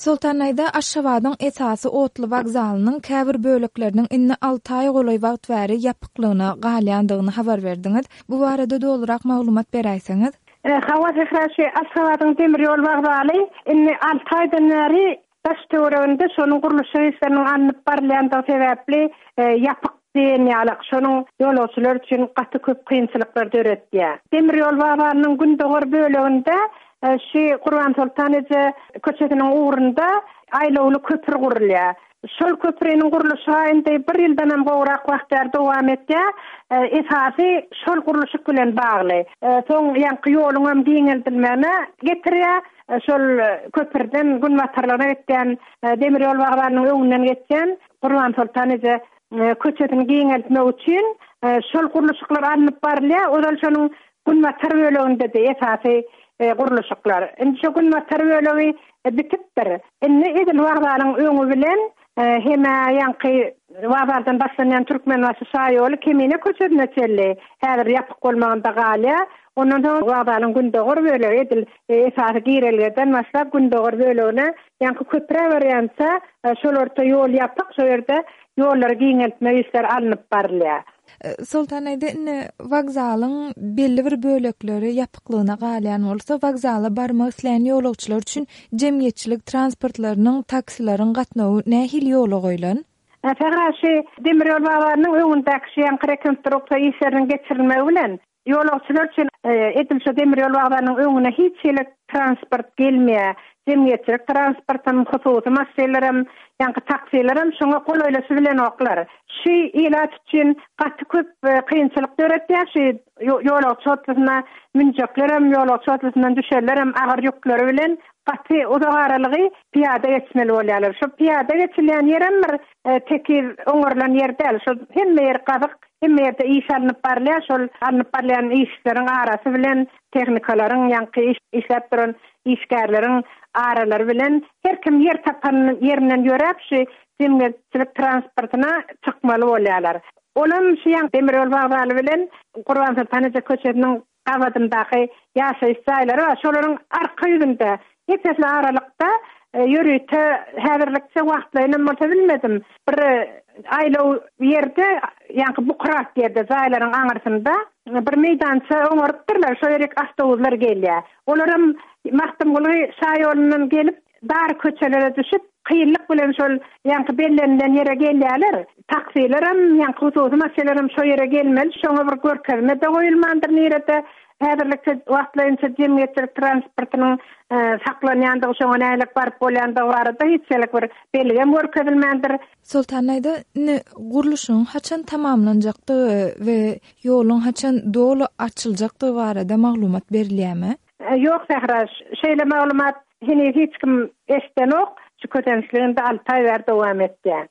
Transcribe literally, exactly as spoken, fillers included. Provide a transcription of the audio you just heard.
Soltanaýda Aşgabadyň esasy otly wokzalynyň käbir bölekleriniň indi alty aý golaý wagt bäri ýapyklygyna galýandygyny habar berdiňiz. Bu barada dolurak maglumat beräýseňiz. Hawa Zehra, şu Aşgabadyň demir ýol wokzaly indi alty aýdan bäri daş töwereginde şonuň gurluşyk işleriniň alnyp barylýandygy sebäpli ýapyk diýen ýaly, şonuň ýolagçylar üçin gaty köp kynçylyklar döretýär. Demir ýol wokzalynyň gündogar böleginde şu Gurbansoltan eje köçesiniň ugrunda aýlawly köpür gurulýar. Şol köprüniň gurluşygy indi bir ýyldan hem gowrak wagt bäri dowam etýär. Esasy şol gurluşyk bilen bagly. Soň ýaňky ýoluň hem giňeldilmegine getirýär. Şol köpürden günbatarlygyna gitýän demir ýol wokzalynyň öňünden geçýän Gurbansoltan eje köçesini giňeltmek üçin şol gurluşyklar alnyp barylýar. Ozal şonuň günbatar böleginde de esasy gurluşyklar. Indi şu günbatar bölegi bitipdir. Indi edil wokzalyň öňü bilen heme ýaňky wokzaldan başlanýan Türkmenbaşy şaýoly Kemine köçesine çenli häzir ýapyk bolmagynda galýar. Ondan soň wokzalyň gündogar bölegi edil esasy girelgeden başlap gündogar bölegine ýaňky köprä barýança şol orta ýol ýapyk, şo ýerde ýollary giňeltme işleri alnyp barylýar. Soltanaýda indi wokzalyň belli bir bölekleri ýapyklygyna galýan bolsa, wokzala barmak isleýän ýolagçylar üçin jemgyýetçilik transportlarynyň, taksileriň gatnawy nähili ýola goýlan? Sähra, şu demir ýol wokzalynyň öňündäki şu ýaňky rekonstruksiýa işleriniň geçirilmegi bilen ýolagçylar üçin edil şu demir ýol wokzalynyň öňüne hiç hili transport gelmeýär. Jemgyýetçilik transportam, hususy maşynlaram, ýaňky taksilerim şoňa golaýlaşy bilen oklar. Şu ilat üçin gaty köp kynçylyk döretýär. Şu ýolagçy otlusyna münjeklerem, ýolagçy otlusyndan düşenlerem agyr ýükleri bilen gaty uzak aralygy piýada geçmeli bolýarlar. Şu piýada geçilýän ýerem bir tekiz oňarylan ýer däl. Şu hemme ýer gazyk, hemme ýerde iş alnyp barylýar. Şol alnyp barylýan işleriň arasy bilen tehnikalaryň, ýaňky işläp duran işgärleriň aralary bilen her kim ýer tapan ýerinden ýöräp şu jemgyýetçilik transportyna çykmaly bolýarlar. Olam şu ýaň demir ýol wokzaly bilen Gurbansoltan eje köçesiniň gabadyndaky ýaşaýyş jaýlary bar. Şolaryň arka ýüzünde epesli aralykda ýörite häzirlikçe wagtlaýyn bolsa bilmedim. Bir aýlaw ýerde, ýaňky bukurak ýerde jaýlaryň aňyrsynda bir meýdança oňarypdyrlar. Şo ýerek awtobuslar gelýär. Olaram Magtymguly şaýolundan gelip dar köçelere düşüp kynlyk bilen şol ýaňky bellenilen ýere gelýärler. Taksilerem, ýaňky hususy maşynlaram şo ýere gelmeli. Şoňa bir görkezme de goýulmandyr nirede. Häzirlikçe wagtlaýynça jemgyýetçilik transportynyň saklanýandygy, şoňa nälik baryp bolýandygy barada hiç hili bir belgem görkezilmändir. Soltanaýda indi gurluşygyň haçan tamamlanjakdygy we ýoluň haçan doly açyljakdygy barada maglumat berilýärmi? Ýok Sähra, şeýle maglumat heniz hiç kim eşdenok. Şu kösençliginde alty aý bäri dowam etýär.